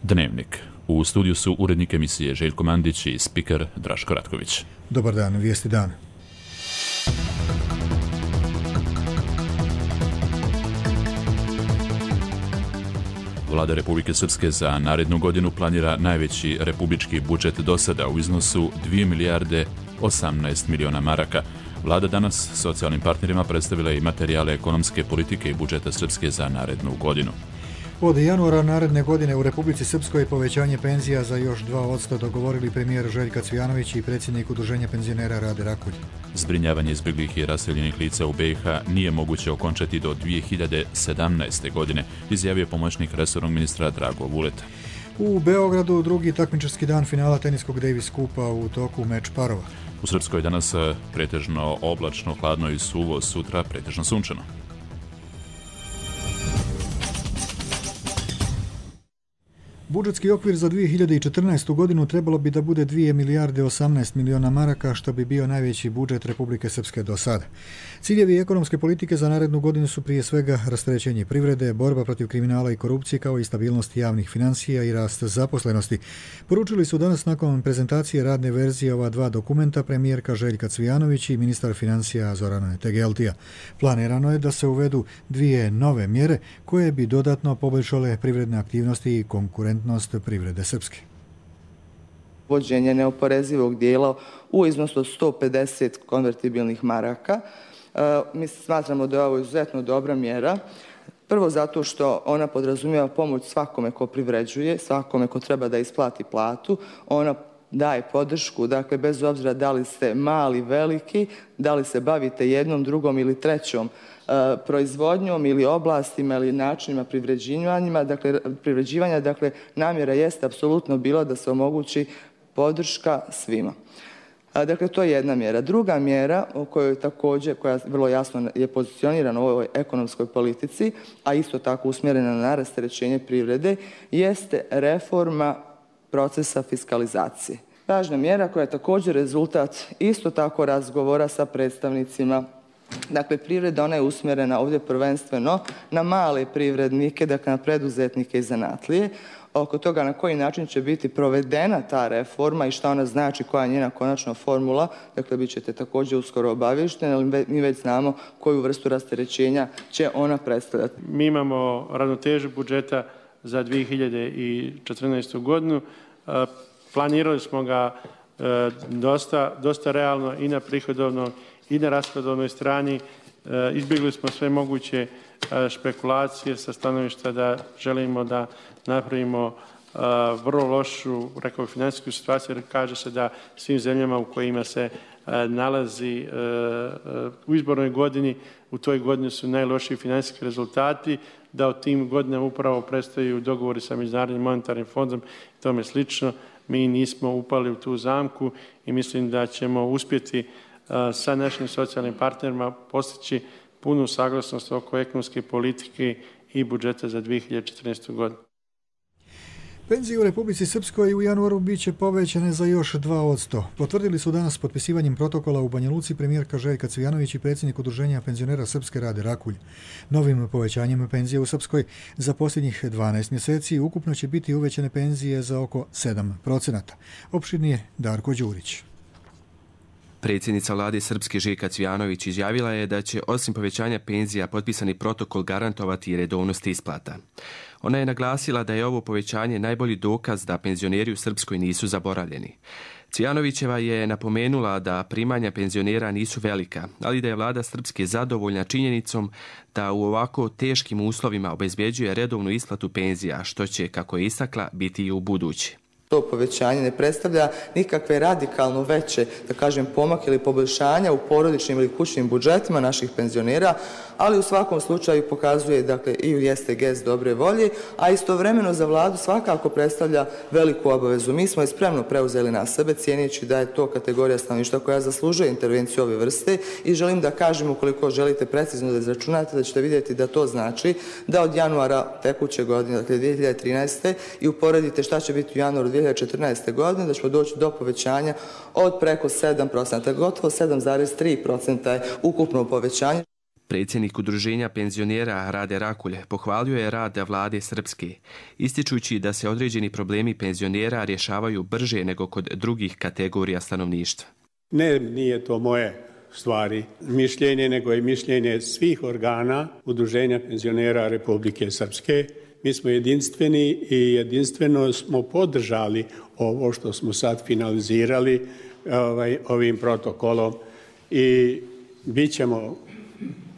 Dnevnik. U studiju su urednik emisije Željko Mandić i spiker Draško Ratković. Dobar dan, vijesti dan. Vlada Republike Srpske za narednu godinu planira najveći republički budžet do sada u iznosu 2 milijarde 18 miliona maraka. Vlada danas socijalnim partnerima predstavila i materijale ekonomske politike i budžeta Srpske za narednu godinu. Od januara naredne godine u Republici Srpskoj povećanje penzija za još 2% dogovorili premijer Željka Cvijanović i predsjednik Udruženja penzionera Rade Rakulj. Zbrinjavanje izbjeglih i raseljenih lica u BiH nije moguće okončati do 2017. godine, izjavio pomoćnik resornog ministra Drago Vuleta. U Beogradu drugi takmičarski dan finala teniskog Davis Kupa u toku meč parova. U Srpskoj danas pretežno oblačno, hladno i suvo, sutra pretežno sunčano. Budžetski okvir za 2014. godinu trebalo bi da bude 2 milijarde 18 miliona maraka, što bi bio najveći budžet Republike Srpske do sada. Ciljevi ekonomske politike za narednu godinu su prije svega rasterećenje privrede, borba protiv kriminala i korupcije, kao i stabilnost javnih financija i rast zaposlenosti. Poručili su danas nakon prezentacije radne verzije ova dva dokumenta premijerka Željka Cvijanović i ministar financija Zoran Tegeltija. Planirano je da se uvedu dvije nove mjere koje bi dodatno poboljšale privredne aktivnosti i konkurentnost privrede Srpske. Uvođenje neoporezivog dijela u iznosu od 150 konvertibilnih maraka. Mi smatramo da je ovo izuzetno dobra mjera. Prvo zato što ona podrazumijeva pomoć svakome ko privređuje, svakome ko treba da isplati platu. Ona daje podršku, dakle bez obzira da li ste mali, veliki, da li se bavite jednom, drugom ili trećom proizvodnjom ili oblastima ili načinima privređivanja, dakle namjera jeste apsolutno bila da se omogući podrška svima. Dakle, to je jedna mjera. Druga mjera o kojoj također, koja vrlo jasno je pozicionirana u ovoj ekonomskoj politici, a isto tako usmjerena na rasterećenje privrede, jeste reforma procesa fiskalizacije. Važna mjera koja je također rezultat isto tako razgovora sa predstavnicima. Dakle, privreda, ona je usmjerena ovdje prvenstveno na male privrednike, dakle na preduzetnike i zanatlije. Oko toga na koji način će biti provedena ta reforma i šta ona znači, koja je njena konačna formula, dakle bit ćete također uskoro obavješteni, ali mi već znamo koju vrstu rasterećenja će ona predstavljati. Mi imamo ravnotežu budžeta za 2014. godinu. Planirali smo ga dosta realno i na prihodovnoj i na rashodovnoj strani. Izbjegli smo sve moguće špekulacije sa stanovišta da želimo da napravimo vrlo lošu, rekao, financijsku situaciju, jer kaže se da svim zemljama u kojima se nalazi u izbornoj godini, u toj godini su najlošiji financijski rezultati, da u tim godinama upravo predstavljaju dogovori sa Međunarodnim monetarnim fondom i tome slično. Mi nismo upali u tu zamku i mislim da ćemo uspjeti sa našim socijalnim partnerima postići punu saglasnost oko ekonomske politike i budžeta za 2014. godinu. Penzije u Republici Srpskoj u januaru bit će povećane za još 2%. Potvrdili su danas potpisivanjem protokola u Banja Luci premijerka Željka Cvijanović i predsjednik Udruženja penzionera Srpske Rade Rakulj. Novim povećanjem penzije u Srpskoj za posljednjih 12 mjeseci ukupno će biti uvećane penzije za oko 7%. Opširnije Darko Đurić. Predsjednica vlade Srpske Željka Cvijanović izjavila je da će osim povećanja penzija potpisani protokol garantovati i redovnost isplata. Ona je naglasila da je ovo povećanje najbolji dokaz da penzioneri u Srpskoj nisu zaboravljeni. Cvijanovićeva je napomenula da primanja penzionera nisu velika, ali da je vlada Srpske zadovoljna činjenicom da u ovako teškim uslovima obezbjeđuje redovnu isplatu penzija, što će, kako je istakla, biti i u budući. To povećanje ne predstavlja nikakve radikalno veće, da kažem, pomake ili poboljšanja u porodičnim ili kućnim budžetima naših penzionera, ali u svakom slučaju pokazuje, dakle, i jeste gest dobre volje, a istovremeno za vladu svakako predstavlja veliku obavezu. Mi smo je spremno preuzeli na sebe, cijeneći da je to kategorija stanovništva koja zaslužuje intervenciju ove vrste i želim da kažem, ukoliko želite precizno da izračunate, da ćete vidjeti da to znači da od januara tekuće godine, dakle 2013. i uporedite šta će biti u januaru 2014. godine, da ćemo doći do povećanja od preko 7%, gotovo 7,3% je ukupno povećanje. Predsjednik Udruženja penzionera Rade Rakulj pohvalio je rad vlade Srpske, ističući da se određeni problemi penzionera rješavaju brže nego kod drugih kategorija stanovništva. Ne, nije to moje stvari mišljenje, nego je mišljenje svih organa Udruženja penzionera Republike Srpske. Mi smo jedinstveni i jedinstveno smo podržali ovo što smo sad finalizirali ovim protokolom i bit ćemo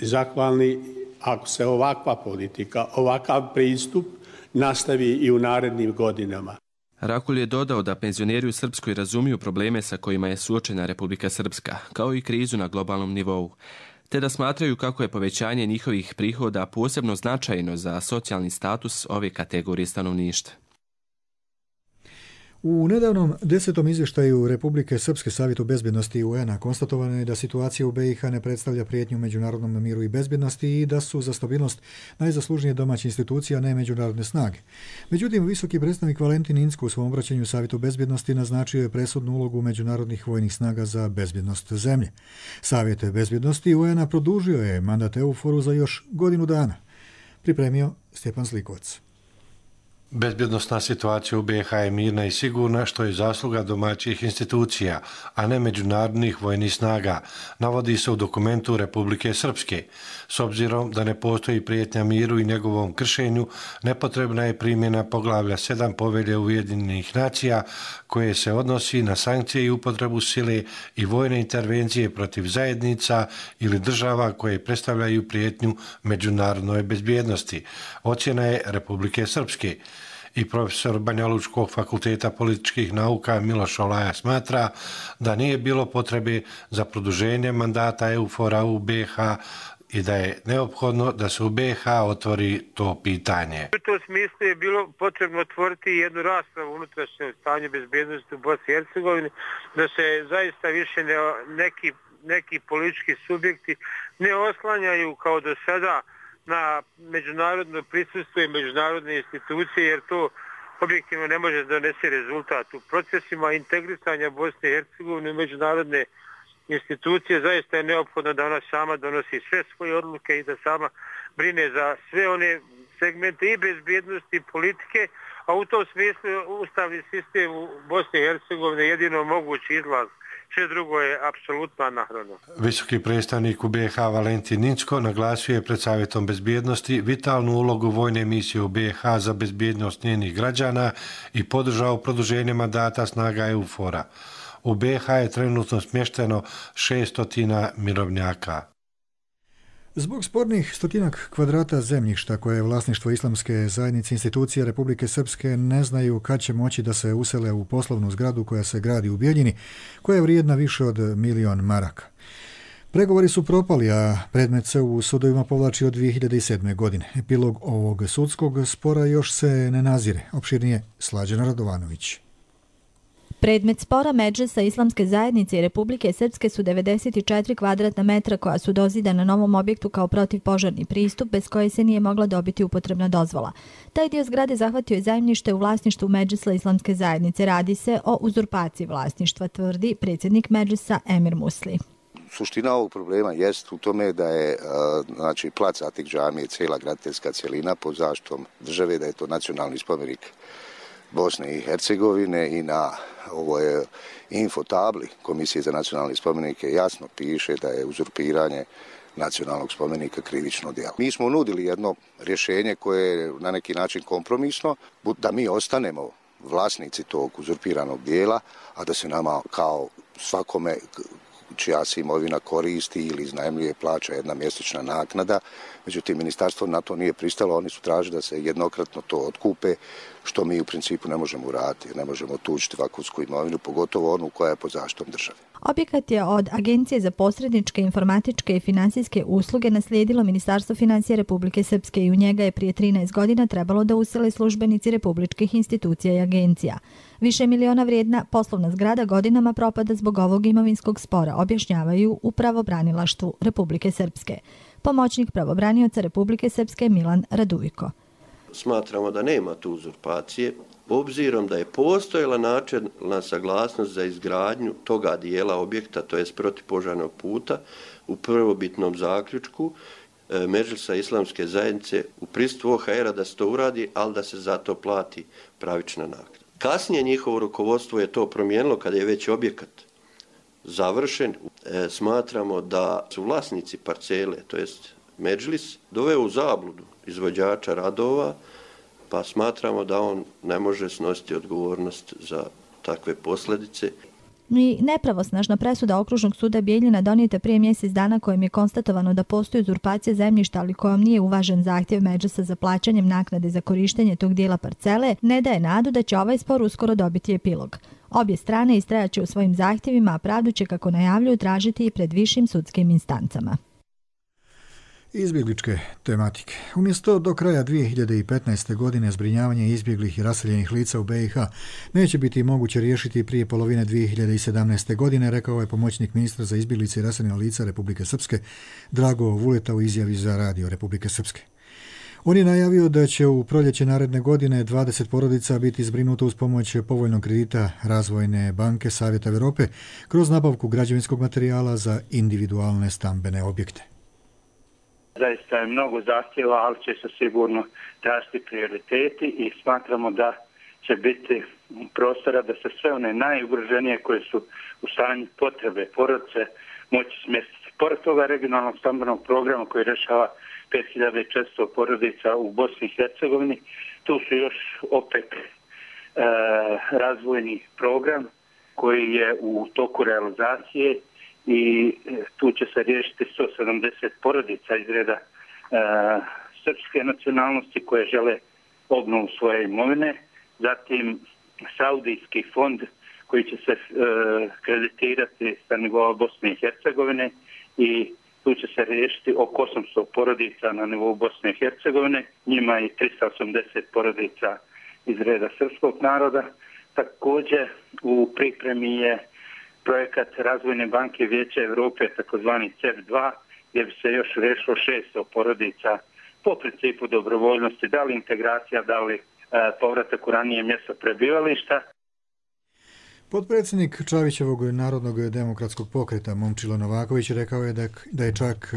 zahvalni ako se ovakva politika, ovakav pristup nastavi i u narednim godinama. Rakulj je dodao da penzioneri u Srpskoj razumiju probleme sa kojima je suočena Republika Srpska, kao i krizu na globalnom nivou, te da smatraju kako je povećanje njihovih prihoda posebno značajno za socijalni status ove kategorije stanovništva. U nedavnom 10. izvještaju Republike Srpske Savjetu bezbjednosti UN-a konstatovano je da situacija u BiH ne predstavlja prijetnju međunarodnom miru i bezbjednosti i da su za stabilnost najzaslužnije domaće institucije, a ne međunarodne snage. Međutim, visoki predstavnik Valentin Incko u svom obraćanju Savjetu bezbjednosti naznačio je presudnu ulogu međunarodnih vojnih snaga za bezbjednost zemlje. Savjet bezbjednosti UN-a produžio je mandat EUFOR-u za još godinu dana. Pripremio Stjepan Slikovac. Bezbjednosna situacija u BiH je mirna i sigurna, što je zasluga domaćih institucija, a ne međunarodnih vojnih snaga, navodi se u dokumentu Republike Srpske. S obzirom da ne postoji prijetnja miru i njegovom kršenju, nepotrebna je primjena poglavlja 7 Povelje Ujedinjenih nacija, koje se odnosi na sankcije i upotrebu sile i vojne intervencije protiv zajednica ili država koje predstavljaju prijetnju međunarodnoj bezbjednosti. Ocjena je Republike Srpske. I profesor Banjalučkog fakulteta političkih nauka Miloš Olaja smatra da nije bilo potrebe za produženje mandata EUFOR-a u BiH i da je neophodno da se u BiH otvori to pitanje. U tom smislu je bilo potrebno otvoriti jednu raspravu o unutrašnjem stanju bezbjednosti u Bosni i Hercegovini, da se zaista više neki politički subjekti ne oslanjaju kao do sada na međunarodno prisustvo i međunarodne institucije, jer to objektivno ne može donesti rezultat. U procesima integrisanja Bosne i Hercegovine u međunarodne institucije zaista je neophodno da ona sama donosi sve svoje odluke i da sama brine za sve one segmente i bezbjednosti i politike, a u tom smislu ustavni sistem u Bosni i Hercegovine je jedino mogući izlaz. Sve drugo je apsolutno anahrono. Visoki predstavnik u BiH Valentin Incko naglasio je pred Savjetom bezbjednosti vitalnu ulogu vojne misije u BiH za bezbjednost njenih građana i podržao produženje mandata snaga EUFOR-a. U BiH je trenutno smješteno 600 mirovnjaka. Zbog spornih 100 kvadrata zemljišta koje je vlasništvo Islamske zajednice, institucije Republike Srpske ne znaju kad će moći da se usele u poslovnu zgradu koja se gradi u Bijeljini, koja je vrijedna više od 1.000.000 maraka. Pregovori su propali, a predmet se u sudovima povlači od 2007. godine. Epilog ovog sudskog spora još se ne nazire. Opširnije Slađana Radovanović. Predmet spora Medžlisa Islamske zajednice i Republike Srpske su 94 kvadratna metra koja su dozidana novom objektu kao protivpožarni pristup bez koje se nije mogla dobiti upotrebna dozvola. Taj dio zgrade zahvatio je zemljište u vlasništvu Medžlisa Islamske zajednice. Radi se o uzurpaciji vlasništva, tvrdi predsjednik Medžlisa Emir Musli. Suština ovog problema jest u tome da je plac Atik džamije cijela graditeljska cjelina pod zaštitom države, da je to nacionalni spomenik Bosne i Hercegovine i na ovoj infotabli Komisije za nacionalne spomenike jasno piše da je uzurpiranje nacionalnog spomenika krivično djelo. Mi smo nudili jedno rješenje koje je na neki način kompromisno, da mi ostanemo vlasnici tog uzurpiranog dijela, a da se nama kao svakome čija se imovina koristi ili iznajmljuje plaća jedna mjesečna naknada. Međutim, ministarstvo na to nije pristalo, oni su tražili da se jednokratno to otkupe, što mi u principu ne možemo uraditi, ne možemo tužiti vakunsku imovinu, pogotovo onu koja je pod zaštitom države. Objekat je od Agencije za posredničke, informatičke i finansijske usluge naslijedilo Ministarstvo financija Republike Srpske i u njega je prije 13 godina trebalo da usele službenici republičkih institucija i agencija. Više miliona vrijedna poslovna zgrada godinama propada zbog ovog imovinskog spora, objašnjavaju u pravobranilaštvu Republike Srpske. Pomoćnik pravobranioca Republike Srpske Milan Radujko. Smatramo da nema tu uzurpacije, obzirom da je postojala načelna saglasnost za izgradnju toga dijela objekta, to jest protipožarnog puta, u prvobitnom zaključku Medžlisa islamske zajednice u prisustvu OHR-a da se to uradi, ali da se za to plati pravična naknada. Kasnije njihovo rukovodstvo je to promijenilo kada je već objekat završen. Smatramo da su vlasnici parcele, to jest Medžlis, doveo u zabludu izvođača radova, pa smatramo da on ne može snositi odgovornost za takve posljedice. I nepravosnažna presuda Okružnog suda Bijeljina donijeta prije mjesec dana kojim je konstatovano da postoji uzurpacija zemljišta, ali kojom nije uvažen zahtjev Medžlisa za plaćanjem naknade za korištenje tog dijela parcele, ne daje nadu da će ovaj spor uskoro dobiti epilog. Obje strane istrajaće u svojim zahtjevima, a pravdu će, kako najavljuju, tražiti i pred višim sudskim instancama. Izbjegličke tematike. Umjesto do kraja 2015. godine zbrinjavanje izbjeglih i raseljenih lica u BiH neće biti moguće riješiti prije polovine 2017. godine, rekao je pomoćnik ministra za izbjeglice i raseljena lica Republike Srpske Drago Vuleta u izjavi za radio Republike Srpske. On je najavio da će u proljeće naredne godine 20 porodica biti zbrinuto uz pomoć povoljnog kredita Razvojne banke Savjeta Europe kroz nabavku građevinskog materijala za individualne stambene objekte. Zaista je mnogo zahtjeva, ali će se sigurno tražiti prioriteti i smatramo da će biti prostora da se sve one najugroženije koje su u stanju potrebe porodice moći smjestiti. Pored toga regionalnog stambenog programa koji rješava 5400 porodica u Bosni i Hercegovini, tu su još opet razvojni program koji je u toku realizacije i tu će se riješiti 170 porodica iz reda srpske nacionalnosti koje žele obnovu svoje imovine. Zatim Saudijski fond koji će se kreditirati sa nivoa Bosne i Hercegovine i tu će se riješiti oko 800 porodica na nivou Bosne i Hercegovine. Njima i 380 porodica iz reda srpskog naroda. Također u pripremi je projekat Razvojne banke Vijeća Europe, takozvani CEF2, gdje bi se još riješilo 600 porodica po principu dobrovoljnosti, da li integracija, da li povratak u ranije mjesto prebivališta. Potpredsjednik Čavićevog Narodnog demokratskog pokreta Momčilo Novaković rekao je da je čak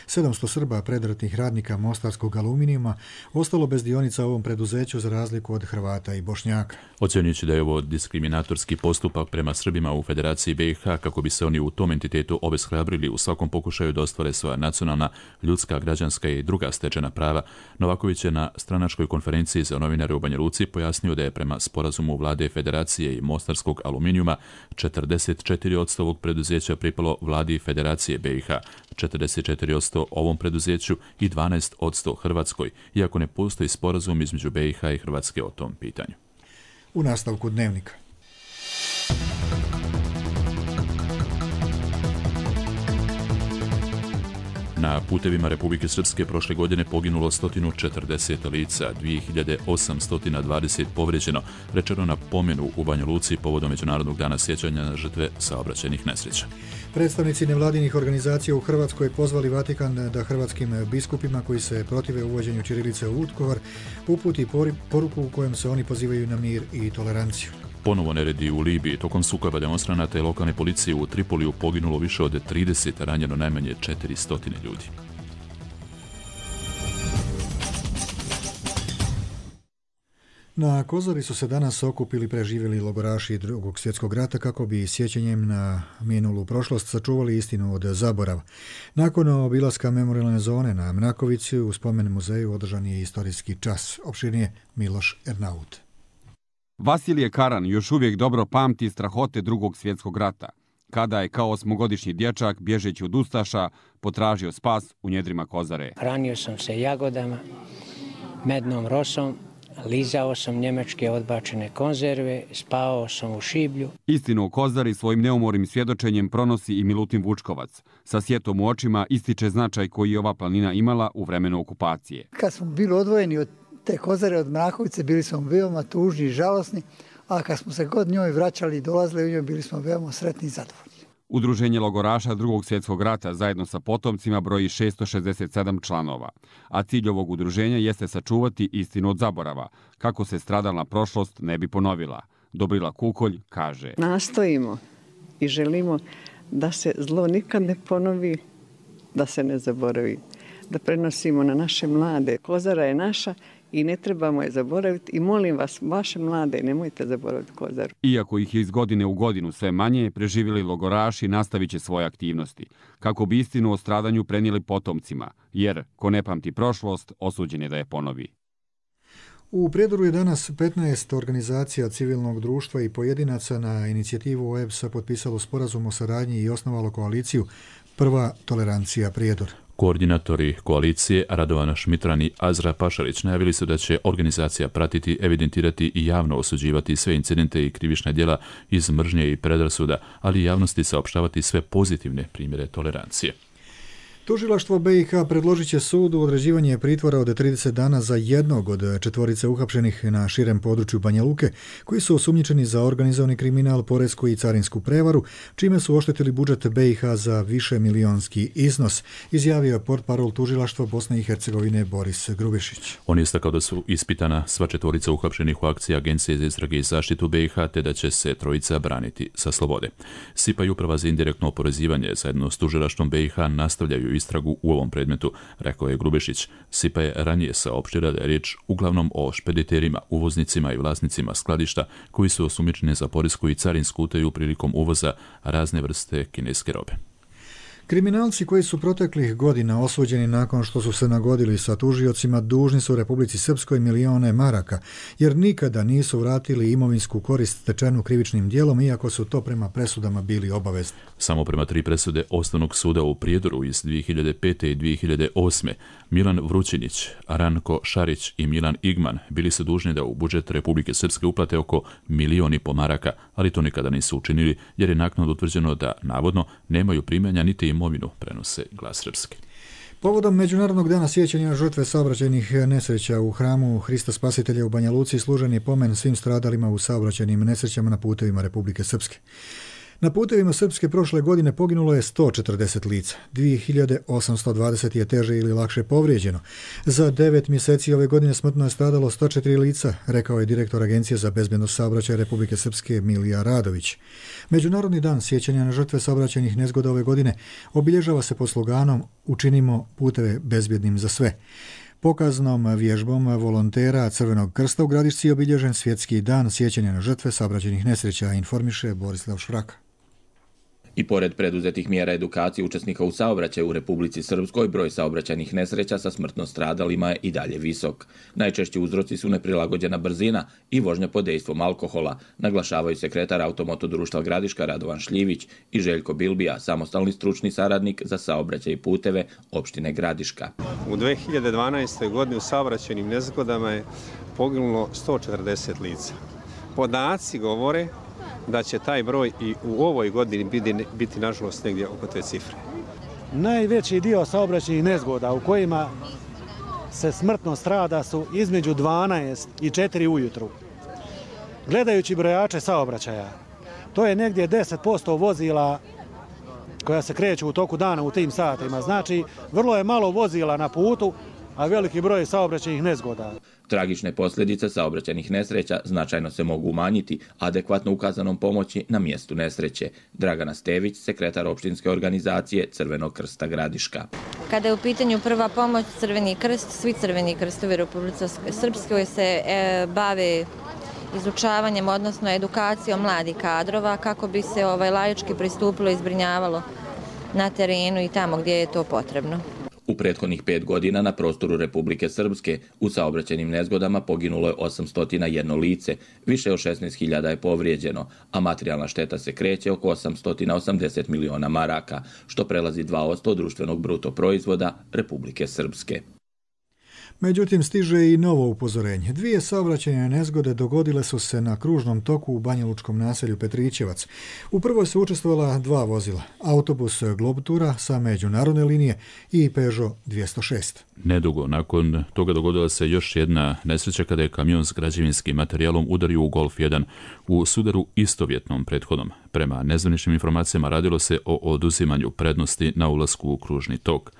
700 Srba predratnih radnika Mostarskog aluminijuma ostalo bez dionica u ovom preduzeću za razliku od Hrvata i Bošnjaka. Ocjenjujući da je ovo diskriminatorski postupak prema Srbima u Federaciji BiH kako bi se oni u tom entitetu obeshrabrili u svakom pokušaju da ostvare svoja nacionalna, ljudska, građanska i druga stečena prava, Novaković je na stranačkoj konferenciji za novinare u Banja Luci pojasnio da je prema sporazumu vlade Federacije i Mostarskog aluminijuma 44% ovog preduzeća pripalo vladi Federacije BiH, 44% ovom preduzeću i 12% Hrvatskoj, iako ne postoji sporazum između BiH i Hrvatske o tom pitanju. U nastavku dnevnika. Na putevima Republike Srpske prošle godine poginulo 140 lica, 2820 povrijeđeno, rečeno na pomenu u Banja Luci povodom Međunarodnog dana sjećanja na žrtve saobraćajnih nesreća. Predstavnici nevladinih organizacija u Hrvatskoj pozvali Vatikan da hrvatskim biskupima koji se protive uvođenju ćirilice u Vukovar uputi poruku u kojem se oni pozivaju na mir i toleranciju. Ponovo neredi u Libiji. Tokom sukoba demonstranata i lokalne policije u Tripoliju poginulo više od 30, ranjeno najmanje 400 ljudi. Na Kozari su se danas okupili preživjeli logoraši Drugog svjetskog rata kako bi sjećanjem na minulu prošlost sačuvali istinu od zaborava. Nakon obilaska memorijalne zone na Mnakovici u spomen muzeju održan je istorijski čas. Opširnije Miloš Ernaut. Vasilije Karan još uvijek dobro pamti strahote Drugog svjetskog rata, kada je kao 8-godišnji dječak, bježeći od ustaša, potražio spas u njedrima Kozare. Hranio sam se jagodama, mednom rosom, lizao sam njemačke odbačene konzerve, spavao sam u šiblju. Istinu o Kozari svojim neumornim svjedočenjem pronosi i Milutin Vučkovac. Sa sjetom u očima ističe značaj koji je ova planina imala u vremenu okupacije. Kad smo bili odvojeni od te Kozare, od Mrakovice, bili smo veoma tužni i žalosni, a kad smo se god njoj vraćali i dolazili u njoj, bili smo veoma sretni i zadovoljni. Udruženje logoraša Drugog svjetskog rata zajedno sa potomcima broji 667 članova, a cilj ovog udruženja jeste sačuvati istinu od zaborava, kako se stradalna prošlost ne bi ponovila. Dobrila Kukolj kaže: Nastojimo i želimo da se zlo nikad ne ponovi, da se ne zaboravi, da prenosimo na naše mlade. Kozara je naša i ne trebamo je zaboraviti i molim vas, vaše mlade, nemojte zaboraviti Kozaru. Iako ih je iz godine u godinu sve manje, preživjeli logoraši nastavit će svoje aktivnosti, kako bi istinu o stradanju prenijeli potomcima, jer ko ne pamti prošlost, osuđen je da je ponovi. U Prijedoru je danas 15 organizacija civilnog društva i pojedinaca na inicijativu OEBS-a potpisalo sporazum o saradnji i osnovalo koaliciju Prva tolerancija Prijedor. Koordinatori koalicije Radovana Šmitran i Azra Pašalić najavili su da će organizacija pratiti, evidentirati i javno osuđivati sve incidente i krivična djela iz mržnje i predrasuda, ali i javnosti saopštavati sve pozitivne primjere tolerancije. Tužilaštvo BiH predložit će sudu određivanje pritvora od 30 dana za jednog od četvorice uhapšenih na širem području Banja Luke, koji su osumnjičeni za organizovani kriminal, poresku i carinsku prevaru, čime su oštetili budžet BiH za višemilionski iznos, izjavio je portparol tužilaštva Bosne i Hercegovine Boris Grubišić. On je istakao da su ispitana sva četvorica uhapšenih u akciji Agencije za istrage i zaštitu BiH, te da će se trojica braniti sa slobode. SIPA i Uprava za indirektno oporezivanje zajedno s tužilaštvom BiH nastavljaju istragu u ovom predmetu, rekao je Grubešić. SIPA je ranije saopštila da je riječ uglavnom o špediterima, uvoznicima i vlasnicima skladišta koji su osumnjičeni za poresku i carinsku utaju prilikom uvoza razne vrste kineske robe. Kriminalci koji su proteklih godina osuđeni nakon što su se nagodili sa tužiocima dužni su Republici Srpskoj milione maraka, jer nikada nisu vratili imovinsku korist stečenu krivičnim djelom, iako su to prema presudama bili obavezni. Samo prema 3 presude Osnovnog suda u Prijedoru iz 2005. i 2008. Milan Vrućinić, Ranko Šarić i Milan Igman bili su dužni da u budžet Republike Srpske uplate oko 1,5 miliona maraka, ali to nikada nisu učinili jer je naknadno utvrđeno da navodno nemaju primanja niti imovinu, prenose Glas Srpske. Povodom Međunarodnog dana sjećanja na žrtve saobraćajnih nesreća u hramu Hrista Spasitelja u Banja Luci služen je pomen svim stradalima u saobraćajnim nesrećama na putevima Republike Srpske. Na putevima Srpske prošle godine poginulo je 140 lica, 2820 je teže ili lakše povrijeđeno. Za 9 mjeseci ove godine smrtno je stradalo 104 lica, rekao je direktor Agencije za bezbednost saobraćaja Republike Srpske Milija Radović. Međunarodni dan sjećanja na žrtve saobraćajnih nezgoda ove godine obilježava se pod sloganom Učinimo puteve bezbjednim za sve. Pokaznom vježbom volontera Crvenog krsta u Gradišci je obilježen svjetski dan sjećanja na žrtve saobraćajnih nesreća, informiše Borislav Švraka. I pored preduzetih mjera edukacije učesnika u saobraćaju u Republici Srpskoj, broj saobraćajnih nesreća sa smrtno stradalima je i dalje visok. Najčešći uzroci su neprilagođena brzina i vožnja pod dejstvom alkohola, naglašavaju sekretar Automoto društva Gradiška Radovan Šljivić i Željko Bilbija, samostalni stručni saradnik za saobraćaj i puteve opštine Gradiška. U 2012. godini u saobraćajnim nezgodama je poginulo 140 lica. Podaci govore da će taj broj i u ovoj godini biti nažalost negdje oko te cifre. Najveći dio saobraćajnih nezgoda u kojima se smrtno strada su između 12 i 4 ujutru. Gledajući brojače saobraćaja, to je negdje 10% vozila koja se kreću u toku dana u tim satima. Znači, vrlo je malo vozila na putu, a veliki broj saobraćajnih nezgoda. Tragične posljedice saobraćajnih nesreća značajno se mogu umanjiti adekvatno ukazanom pomoći na mjestu nesreće. Dragana Stević, sekretar opštinske organizacije Crvenog krsta Gradiška. Kada je u pitanju prva pomoć, Crveni krst, svi Crveni krstovi Republike Srpske se bave izučavanjem, odnosno edukacijom mladih kadrova kako bi se laički pristupilo i zbrinjavalo na terenu i tamo gdje je to potrebno. U prethodnih 5 godina na prostoru Republike Srpske u saobraćajnim nezgodama poginulo je 801 lice, više od 16.000 je povrijeđeno, a materijalna šteta se kreće oko 880 miliona maraka, što prelazi 2% društvenog bruto proizvoda Republike Srpske. Međutim, stiže i novo upozorenje. 2 saobraćajne nezgode dogodile su se na kružnom toku u banjalučkom naselju Petrićevac. U prvoj su učestvovala 2 vozila, autobus Globtura sa međunarodne linije i Peugeot 206. Nedugo nakon toga dogodila se još jedna nesreća kada je kamion s građevinskim materijalom udario u Golf 1 u sudaru istovjetnom prethodnom. Prema nezvaničnim informacijama radilo se o oduzimanju prednosti na ulasku u kružni tok.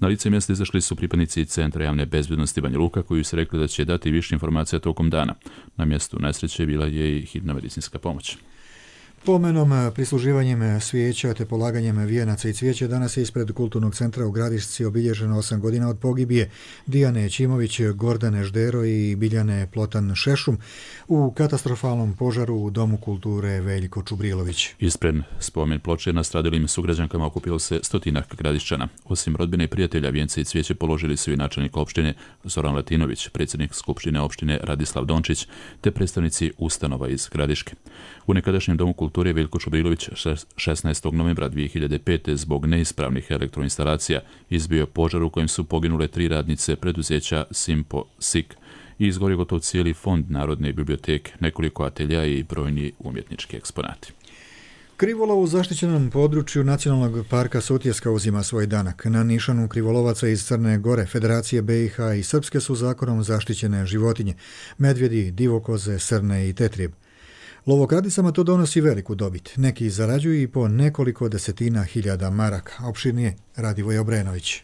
Na lice mjesta izašli su pripadnici Centra javne bezbjednosti Banja Luka koji su rekli da će dati više informacija tokom dana. Na mjestu nesreće bila je i hitna medicinska pomoć. Pomenom, prisluživanjem svijeća te polaganjem vijenaca i cvijeća danas je ispred Kulturnog centra u Gradišci obilježeno 8 godina od pogibije Dijane Ćimović, Gordane Ždero i Biljane Plotan Šešum u katastrofalnom požaru u Domu kulture Veljko Čubrilović. Ispred spomen ploče nastradalim sugrađankama okupilo se 100 Gradišćana. Osim rodbine i prijatelja, vijence i cvijeće položili su i načelnik opštine Zoran Latinović, predsjednik skupštine opštine Radislav Dončić te predstavnici ustanova iz Gradiške. U nekadašnjem Domu kulture Veljko Čubrilović 16. novembra 2005. zbog neispravnih elektroinstalacija izbio požar u kojem su poginule 3 radnice preduzeća Simpo Sik i izgorio gotovo cijeli fond Narodne biblioteke, nekoliko atelja i brojni umjetnički eksponati. Krivolov u zaštićenom području Nacionalnog parka Sutjeska uzima svoj danak. Na nišanu krivolovaca iz Crne Gore, Federacije BiH i Srpske su zakonom zaštićene životinje, medvjedi, divokoze, srne i tetrijeb. Lovokradicama to donosi veliku dobit. Neki zarađuju i po nekoliko desetina hiljada maraka. Opširnije Radivoj Obrenović.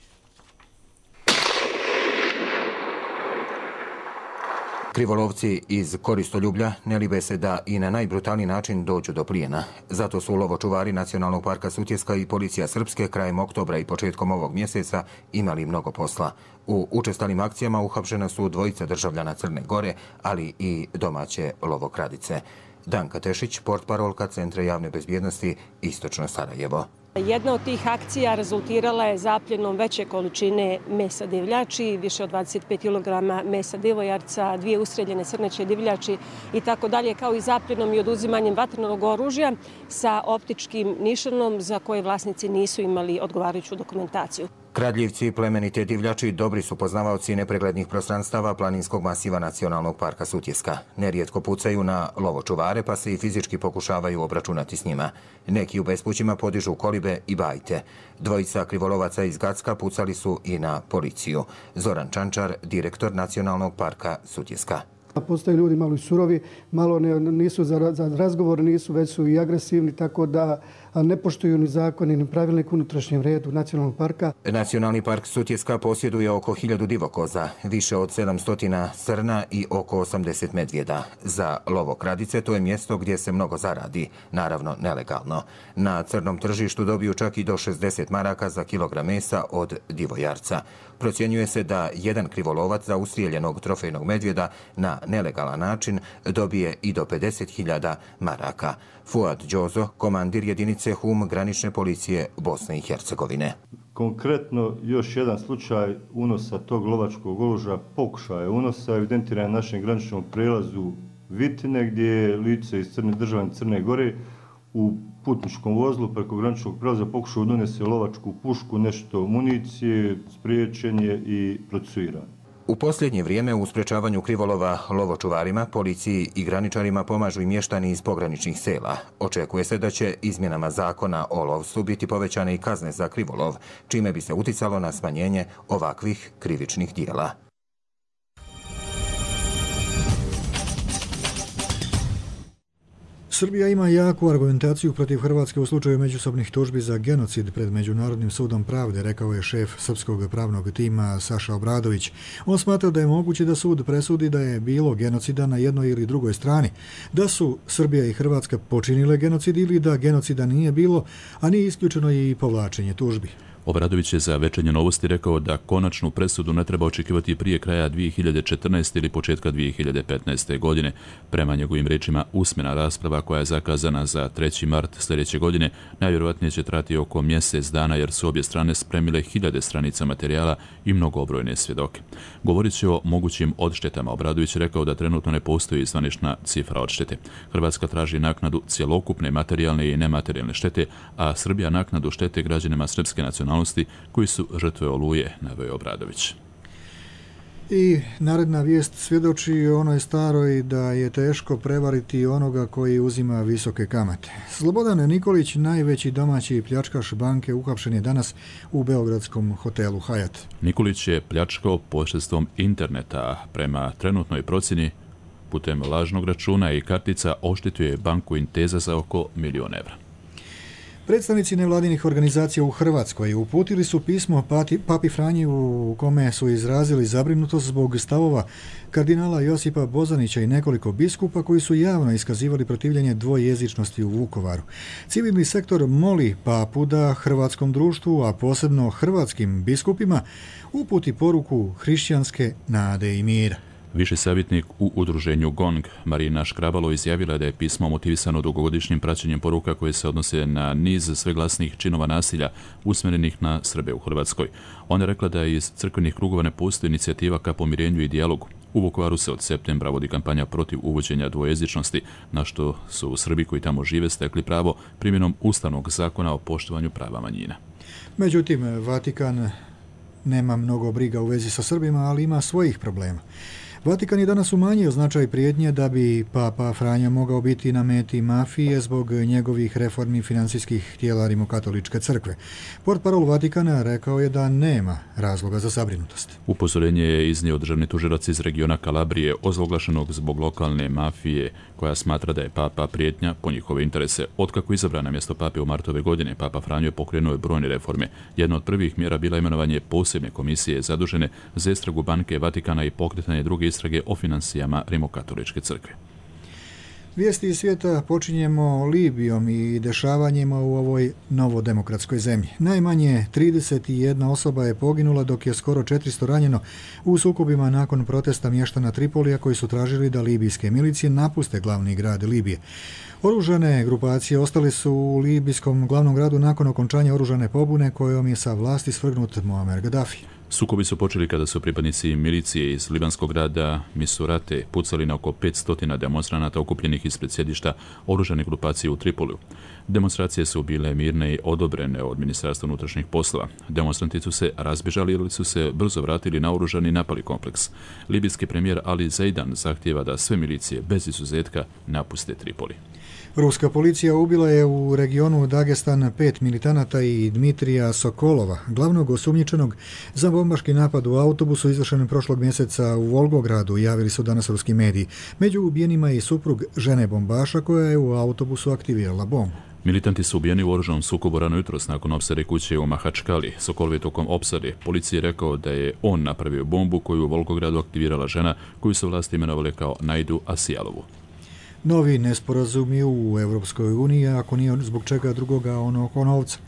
Krivolovci iz koristoljublja ne libe se da i na najbrutalniji način dođu do plijena. Zato su lovočuvari Nacionalnog parka Sutjeska i policija Srpske krajem oktobra i početkom ovog mjeseca imali mnogo posla. U učestalim akcijama uhapšena su 2 državljana Crne Gore, ali i domaće lovokradice. Danka Tešić, portparolka Centra javne bezbjednosti Istočno Sarajevo. Jedna od tih akcija rezultirala je zapljenom veće količine mesa divljači, više od 25 kg mesa divojarca, 2 ustreljene srneće divljači i tako dalje, kao i zapljenom i oduzimanjem vatrenog oružja sa optičkim nišanom za koje vlasnici nisu imali odgovarajuću dokumentaciju. Kradljivci, plemenite divljači, dobri su poznavaoci nepreglednih prostranstava planinskog masiva Nacionalnog parka Sutjeska. Nerijetko pucaju na lovočuvare pa se i fizički pokušavaju obračunati s njima. Neki u bespućima podižu kolibe i bajte. 2 krivolovaca iz Gacka pucali su i na policiju. Zoran Čančar, direktor Nacionalnog parka Sutjeska. Postoje ljudi malo i surovi, malo nisu za razgovor, nisu već su i agresivni, tako da ne poštuju ni zakoni ni pravilnik u unutrašnjem redu Nacionalnog parka. Nacionalni park Sutjeska posjeduje oko 1000 divokoza, više od 700 srna i oko 80 medvjeda. Za lovokradice to je mjesto gdje se mnogo zaradi, naravno nelegalno. Na crnom tržištu dobiju čak i do 60 maraka za kilogram mesa od divojarca. Procjenjuje se da jedan krivolovac za ustrijeljenog trofejnog medvjeda na nelegalan način dobije i do 50.000 maraka. Fuad Đozo, komandir jedinice HUM granične policije Bosne i Hercegovine. Konkretno još jedan slučaj unosa tog lovačkog oružja, pokušaja unosa, evidentiran na našem graničnom prelazu Vitine, gdje je lice iz države Crne Gore u putničkom vozilu preko graničnog prelaza pokušao donese lovačku pušku, nešto municije, spriječen je i procesuiran. U posljednje vrijeme u sprečavanju krivolova lovočuvarima, policiji i graničarima pomažu i mještani iz pograničnih sela. Očekuje se da će izmjenama zakona o lovstvu biti povećane i kazne za krivolov, čime bi se uticalo na smanjenje ovakvih krivičnih dijela. Srbija ima jaku argumentaciju protiv Hrvatske u slučaju međusobnih tužbi za genocid pred Međunarodnim sudom pravde, rekao je šef srpskog pravnog tima Saša Obradović. On smatra da je moguće da sud presudi da je bilo genocida na jednoj ili drugoj strani, da su Srbija i Hrvatska počinile genocid ili da genocida nije bilo, a nije isključeno i povlačenje tužbi. Obradović je za Večernje novosti rekao da konačnu presudu ne treba očekivati prije kraja 2014. ili početka 2015. godine. Prema njegovim rečima, usmena rasprava koja je zakazana za 3. mart sljedeće godine najvjerojatnije će trati oko mjesec dana jer su obje strane spremile 1000 stranica materijala i mnogobrojne svjedoke. Govorit će o mogućim odštetama. Obradović je rekao da trenutno ne postoji zvanična cifra odštete. Hrvatska traži naknadu cjelokupne materijalne i nematerijalne štete, a Srbija naknadu štete građanima srpske nacionalnosti koji su žrtve Oluje, naveo Obradović. I naredna vijest svjedoči onoj staroj da je teško prevariti onoga koji uzima visoke kamate. Slobodan Nikolić, najveći domaći pljačkaš banke, uhapšen je danas u beogradskom hotelu Hyatt. Nikolić je pljačkao posredstvom interneta. Prema trenutnoj procjeni, putem lažnog računa i kartica oštetio je banku Intesa za oko $1.000.000. Predstavnici nevladinih organizacija u Hrvatskoj uputili su pismo Papi Franji u kome su izrazili zabrinutost zbog stavova kardinala Josipa Bozanića i nekoliko biskupa koji su javno iskazivali protivljenje dvojezičnosti u Vukovaru. Civilni sektor moli papu da hrvatskom društvu, a posebno hrvatskim biskupima, uputi poruku hrišćanske nade i mira. Viši savjetnik u udruženju GONG, Marina Škrabalo, izjavila da je pismo motivisano dugogodišnjim praćenjem poruka koje se odnose na niz sveglasnih činova nasilja usmjerenih na Srbe u Hrvatskoj. Ona je rekla da iz crkvenih krugova ne postoji inicijativa ka pomirenju i dijalogu. U Vukovaru se od septembra vodi kampanja protiv uvođenja dvojezičnosti, na što su Srbi koji tamo žive stekli pravo primjenom Ustavnog zakona o poštovanju prava manjina. Međutim, Vatikan nema mnogo briga u vezi sa Srbima, ali ima svojih problema. Vatikan je danas umanjio značaj prijetnje da bi Papa Franjo mogao biti na meti mafije zbog njegovih reformi financijskih tijela Rimokatoličke crkve. Portparol Vatikana rekao je da nema razloga za zabrinutost. Upozorenje je iznio državni tužilac iz regiona Kalabrije, ozloglašenog zbog lokalne mafije, koja smatra da je Papa prijetnja po njihove interese. Otkako izabran na mjesto Pape u martu ove godine, Papa Franjo je pokrenuo brojne reforme. Jedna od prvih mjera bila imenovanje posebne komisije zadužene za istragu banke Vatikana i pokretanje druge istrage o financijama Rimokatoličke crkve. Vijesti iz svijeta počinjemo Libijom i dešavanjima u ovoj novodemokratskoj zemlji. Najmanje 31 osoba je poginula, dok je skoro 400 ranjeno u sukobima nakon protesta mještana Tripolija koji su tražili da libijske milicije napuste glavni grad Libije. Oružane grupacije ostale su u libijskom glavnom gradu nakon okončanja oružane pobune kojom je sa vlasti svrgnut Muammar Gaddafi. Sukobi su počeli kada su pripadnici milicije iz libanskog grada Misurate pucali na oko 500 demonstranata okupljenih ispred sjedišta oružane grupacije u Tripoliju. Demonstracije su bile mirne i odobrene od Ministarstva unutrašnjih poslova. Demonstranti su se razbježali ili su se brzo vratili na oružani napali kompleks. Libijski premijer Ali Zaidan zahtijeva da sve milicije bez izuzetka napuste Tripoli. Ruska policija ubila je u regionu Dagestan 5 militanata i Dmitrija Sokolova, glavnog osumnjičenog za bombaški napad u autobusu izvršen prošlog mjeseca u Volgogradu, javili su danas ruski mediji. Među ubijenima je i suprug žene bombaša koja je u autobusu aktivirala bombu. Militanti su ubijeni u oružanom sukobu rano jutros nakon opsade kuće u Mahačkali. Sokolov je tokom opsade policiji rekao da je on napravio bombu koju u Volgogradu aktivirala žena koju su vlasti imenovali kao Najdu Asijalovu. Novi nesporazumi u Europskoj uniji, ako nije zbog čega drugoga oko novca.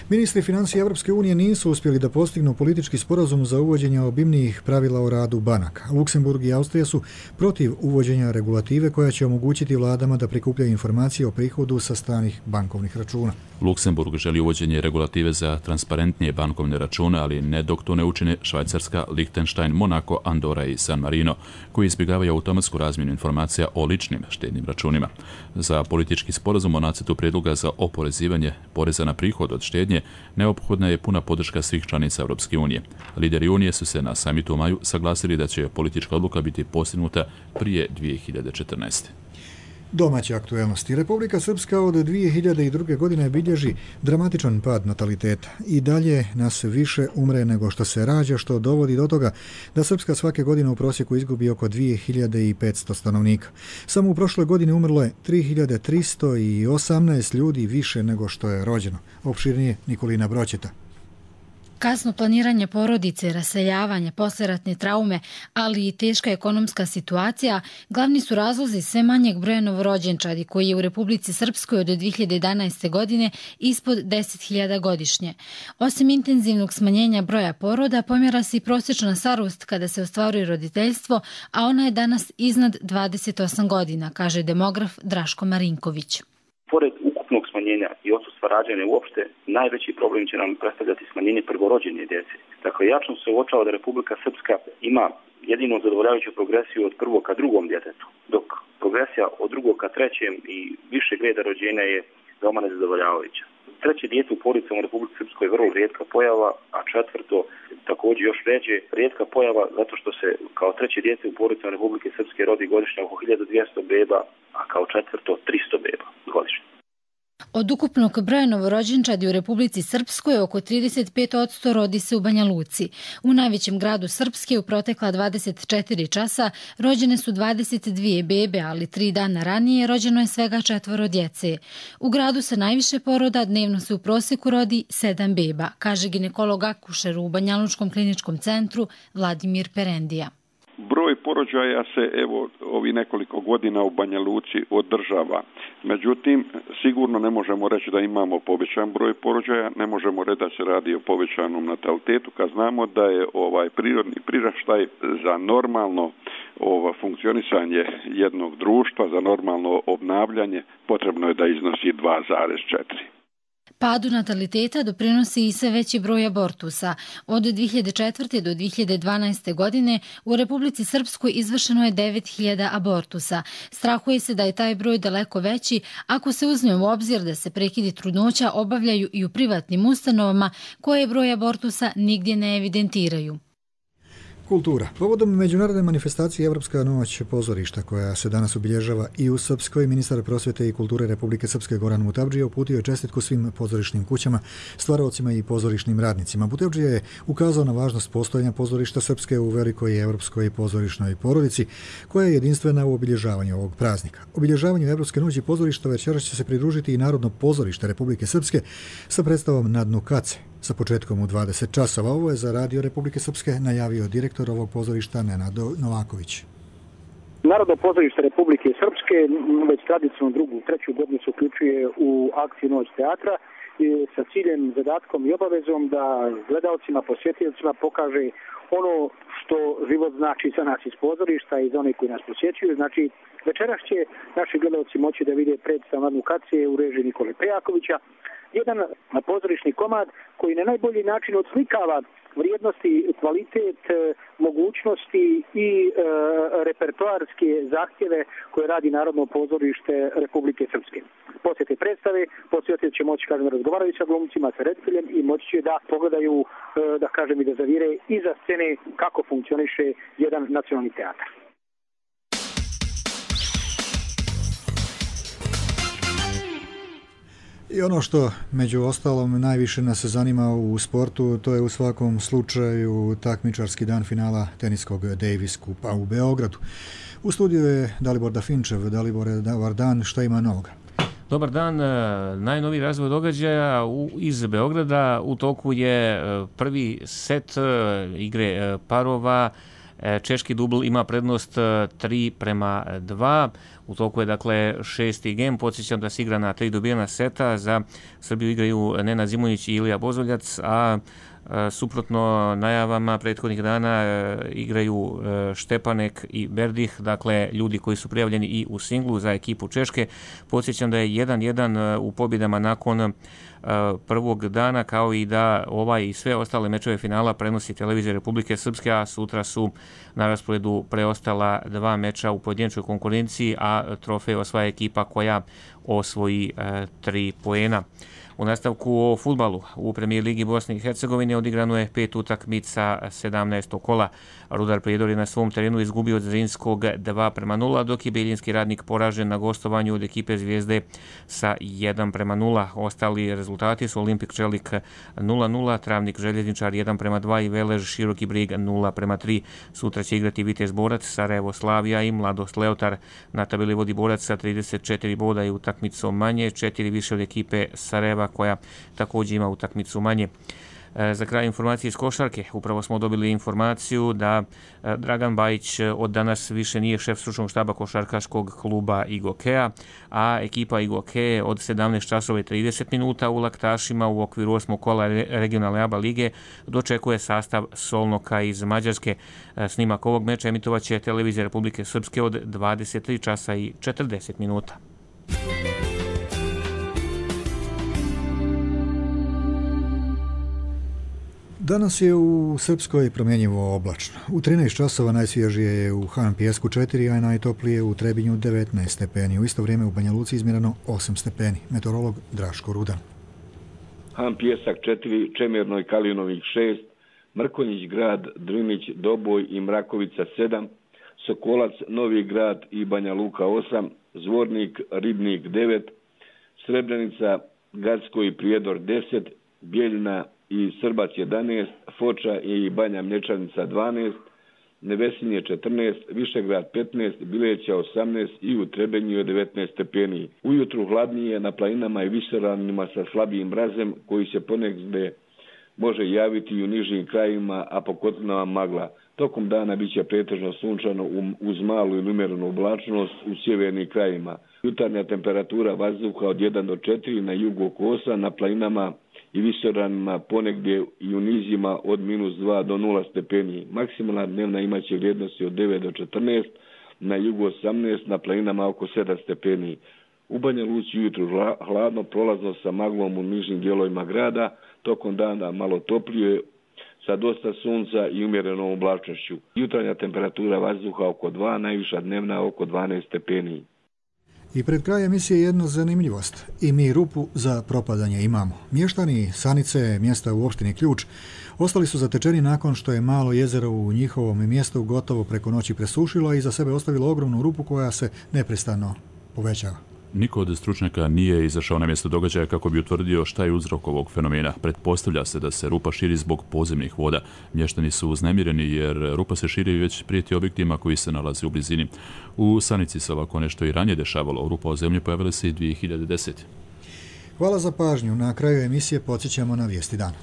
Ministri financija Europske unije nisu uspjeli da postignu politički sporazum za uvođenje obimnijih pravila o radu banaka. Luksemburg i Austrija su protiv uvođenja regulative koja će omogućiti vladama da prikupljaju informacije o prihodu sa stranih bankovnih računa. Luksemburg želi uvođenje regulative za transparentnije bankovne račune, ali ne dok to ne učine Švajcarska, Lichtenstein, Monako, Andora i San Marino, koji izbjegavaju automatsku razmjenu informacija o ličnim štednim računima. Za politički sporazum o nacrtu prijedloga za oporezivanje poreza na prihod od štednje neophodna je puna podrška svih članica Europske unije. Lideri unije su se na samitu u maju saglasili da će politička odluka biti postignuta prije 2014. Domaće aktuelnosti. Republika Srpska od 2002. godine bilježi dramatičan pad nataliteta. I dalje nas više umre nego što se rađa, što dovodi do toga da Srpska svake godine u prosjeku izgubi oko 2500 stanovnika. Samo u prošloj godini umrlo je 3318 ljudi više nego što je rođeno. Opširnije Nikolina Broćeta. Kasno planiranje porodice, raseljavanje, posleratne traume, ali i teška ekonomska situacija glavni su razlozi sve manjeg broja novorođenčadi koji je u Republici Srpskoj od 2011. godine ispod 10.000 godišnje. Osim intenzivnog smanjenja broja poroda, pomjera se i prosječna starost kada se ostvaruje roditeljstvo, a ona je danas iznad 28 godina, kaže demograf Draško Marinković. Pored ukupnog smanjenja i odsustva rađanja uopšte, najveći problem će nam predstavljati smanjenje prvorođene djece. Dakle, jasno se uočava da Republika Srpska ima jedino zadovoljavajuću progresiju od prvog ka drugom djetetu, dok progresija od drugog ka trećem i višeg reda rođenja je veoma nezadovoljavajuća. Treće dijete u porodicama u Republici Srpskoj je vrlo rijetka pojava, a četvrto također još ređe rijetka pojava zato što se kao treće dijete u porodicama Republike Srpske rodi godišnje oko 1200 beba, a kao četvrto 300 beba godišnje. Od ukupnog broja novorođenčadi u Republici Srpskoj oko 35% rodi se u Banja Luci. U najvećem gradu Srpske u protekla 24 časa rođene su 22 bebe, ali 3 dana ranije rođeno je svega 4 djece. U gradu sa najviše poroda dnevno se u prosjeku rodi 7 beba, kaže ginekolog akušer u Banja Lučkom kliničkom centru Vladimir Perendija. Broj porođaja se ovi nekoliko godina u Banja Luci održava. Međutim, sigurno ne možemo reći da imamo povećan broj porođaja, ne možemo reći da se radi o povećanom natalitetu, kad znamo da je prirodni priraštaj za normalno funkcionisanje jednog društva, za normalno obnavljanje, potrebno je da iznosi 2,4. Padu nataliteta doprinosi i sve veći broj abortusa. Od 2004. do 2012. godine u Republici Srpskoj izvršeno je 9000 abortusa. Strahuje se da je taj broj daleko veći ako se uzme u obzir da se prekidi trudnoća obavljaju i u privatnim ustanovama koje broj abortusa nigdje ne evidentiraju. Kultura. Povodom međunarodne manifestacije Evropska noć pozorišta koja se danas obilježava i u Srpskoj, ministar prosvjete i kulture Republike Srpske Goran Mutavdžija uputio je čestitku svim pozorišnim kućama, stvaraocima i pozorišnim radnicima. Mutavdžija je ukazao na važnost postojanja pozorišta Srpske u velikoj evropskoj pozorišnoj porodici koja je jedinstvena u obilježavanju ovog praznika. Obilježavanju Evropske noći pozorišta večeras će se pridružiti i Narodno pozorište Republike Srpske sa predstavom Na dnu kace sa početkom u 20 časova. Ovo je za Radio Republike Srpske najavio direktor ovog pozorišta Nenad Novaković. Narodno pozorište Republike Srpske već tradicionalno drugu, treću godinu se uključuje u akciju Noć teatra sa ciljem, zadatkom i obavezom da gledalcima, posjetiocima pokaže ono što život znači za nas iz pozorišta i za one koji nas posjećuju. Znači, večeras će naši gledalci moći da vide predstavu Na dnu kace u režiji Nikole Prejakovića, jedan pozorišni komad koji na najbolji način odslikava vrijednosti, kvalitet, mogućnosti i repertoarske zahtjeve koje radi Narodno pozorište Republike Srpske. Poslije te predstave, posjetitelji će moći, razgovaraju sa glumcima, sa rediteljem i moći će da pogledaju, i da zavire iza scene kako funkcioniše jedan nacionalni teatar. I ono što među ostalom najviše nas zanima u sportu, to je u svakom slučaju takmičarski dan finala teniskog Davis Kupa u Beogradu. U studiju je Dalibor Dafinčev. Dalibore, dobar dan, šta ima novoga? Dobar dan, najnoviji razvoj događaja iz Beograda. U toku je prvi set igre parova. Češki dubl ima prednost 3:2. U toku je dakle 6. gem. Podsjećam da se igra na 3 dobijena seta. Za Srbiju igraju Nenad Zimonjić i Ilija Bozoljac, a suprotno najavama prethodnih dana igraju Štepanek i Berdih, dakle ljudi koji su prijavljeni i u singlu za ekipu Češke. Podsjećam da je 1:1 u pobjedama nakon prvog dana, kao i da ovaj i sve ostale mečeve finala prenosi televizija Republike Srpske, a sutra su na rasporedu preostala 2 meča u pojedinačnoj konkurenciji, a trofej osvaja ekipa koja osvoji 3 poena. U nastavku o fudbalu u Premijer ligi Bosne i Hercegovine odigrano je 5 utakmica 17. kola. Rudar Prijedor je na svom terenu izgubio od Zrinskog 2:0, dok je Bijeljinski Radnik poražen na gostovanju od ekipe Zvijezde sa 1:0. Ostali rezultati su Olimpik Čelik 0:0, Travnik Željezničar 1:2 i Velež Široki Brig 0:3. Sutra će igrati Vitez Borac, Sarajevo Slavija i Mladost Leotar. Na tabeli vodi Borac sa 34 boda i utakmicom manje, 4 više od ekipe Sarajeva koja također ima utakmicu manje. Za kraj informacije iz košarke. Upravo smo dobili informaciju da Dragan Bajić od danas više nije šef stručnog štaba košarkaškog kluba Igokea, a ekipa Igoke od 17:30 u Laktašima u okviru 8. kola regionalne ABA lige dočekuje sastav Solnoka iz Mađarske. Snimak ovog meča emitovaće televizija Republike Srpske od 23:40. Danas je u Srpskoj promjenjivo oblačno. U 13 časova najsvježije je u Han Pijesku 4, a najtoplije u Trebinju 19 stepeni. U isto vrijeme u Banja Luci izmjereno 8 stepeni. Meteorolog Draško Rudan. Han Pijesak 4, Čemirno i Kalinovih 6, Mrkonjić grad, Drnić, Doboj i Mrakovica 7, Sokolac, Novi grad i Banja Luka 8, Zvornik, Ribnik 9, Srebrenica, Gacko i Prijedor 10, Bijeljina i Srbac 11, Foča i Banja Mlječanica 12, Nevesinje 14, Višegrad 15, Bileća 18 i u Trebinju je 19 stepeni. Ujutru hladnije na planinama i visoravnima sa slabijim mrazem koji se ponegdje može javiti i u nižim krajevima, a po kotlinama magla. Tokom dana bit će pretežno sunčano uz malu ili umjerenu oblačnost u sjevernim krajevima. Jutarnja temperatura vazduha od 1 do 4, na jugu oko 8, na planinama i visoravnima ponegdje i u nizima od -2 do 0 stepeni. Maksimalna dnevna imaće vrijednosti od 9 do 14, na jugu 18, na planinama oko 7 stepeni. U Banja Luci ujutru hladno, prolazno sa maglom u nižim dijelovima grada, tokom dana malo toplije, sa dosta sunca i umjerenom oblačnošću. Jutarnja temperatura vazduha oko 2, najviša dnevna oko 12 stepeni. I pred kraj emisije jedno zanimljivost. I mi rupu za propadanje imamo. Mještani Sanice, mjesta u opštini Ključ, ostali su zatečeni nakon što je malo jezero u njihovom mjestu gotovo preko noći presušilo i za sebe ostavilo ogromnu rupu koja se neprestano povećava. Niko od stručnjaka nije izašao na mjesto događaja kako bi utvrdio šta je uzrok ovog fenomena. Pretpostavlja se da se rupa širi zbog podzemnih voda. Mještani su uznemireni jer rupa se širi već prijeti objektima koji se nalaze u blizini. U Sanici se ovako nešto i ranije dešavalo. Rupa o zemlji pojavila se i 2010. Hvala za pažnju. Na kraju emisije podsjećamo na vijesti dana.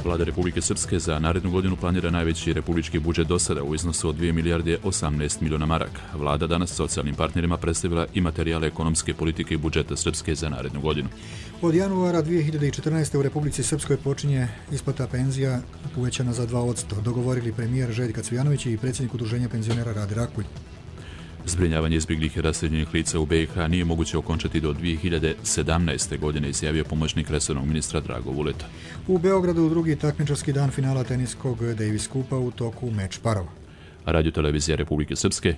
Vlada Republike Srpske za narednu godinu planira najveći republički budžet do sada u iznosu od 2 milijarde 18 miliona maraka. Vlada danas socijalnim partnerima predstavila i materijale ekonomske politike i budžeta Srpske za narednu godinu. Od januara 2014. u Republici Srpskoj počinje isplata penzija uvećana za 2%, dogovorili premijer Željko Cvijanović i predsjednik udruženja penzionera Rade Rakulj. Zbrinjavanje izbjeglih i raseljenih lica u BiH nije moguće okončati do 2017. godine, izjavio pomoćnik resornog ministra Drago Vuleta. U Beogradu drugi takmičarski dan finala teniskog Davis Kupa u toku meč parova. Radio Televizija Republike Srpske,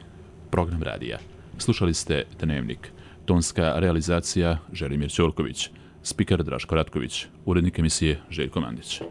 program radija. Slušali ste Dnevnik. Tonska realizacija Želimir Ćorković. Spiker Draško Ratković. Urednik emisije Željko Mandić.